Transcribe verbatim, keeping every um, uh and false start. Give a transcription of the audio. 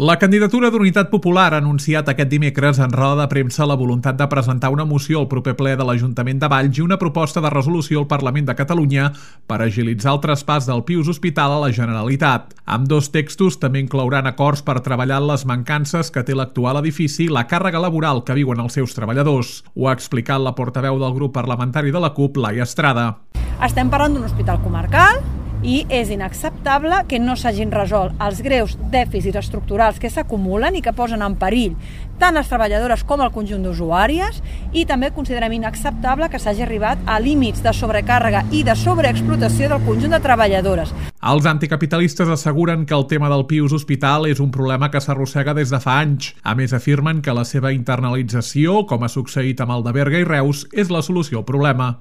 La candidatura d'Unitat Popular ha anunciat aquest dimecres en roda de premsa la voluntat de presentar una moció al proper ple de l'Ajuntament de Valls i una proposta de resolució al Parlament de Catalunya per agilitzar el traspàs del Pius Hospital a la Generalitat. Ambdós textos també inclouran acords per treballar en les mancances que té l'actual edifici i la càrrega laboral que viuen els seus treballadors. Ho ha explicat la portaveu del grup parlamentari de la CUP, Laia Estrada. Estem parlant d'un hospital comarcal i és inacceptable que no s'hagin resolt els greus dèficits estructurals que s'acumulen i que posen en perill tant les treballadores com el conjunt d'usuàries, i també considerem inacceptable que s'hagi arribat a límits de sobrecàrrega i de sobreexplotació del conjunt de treballadores. Els anticapitalistes asseguren que el tema del Pius Hospital és un problema que s'arrossega des de fa anys. A més, afirmen que la seva internalització, com ha succeït amb el de Berga i Reus, és la solució al problema.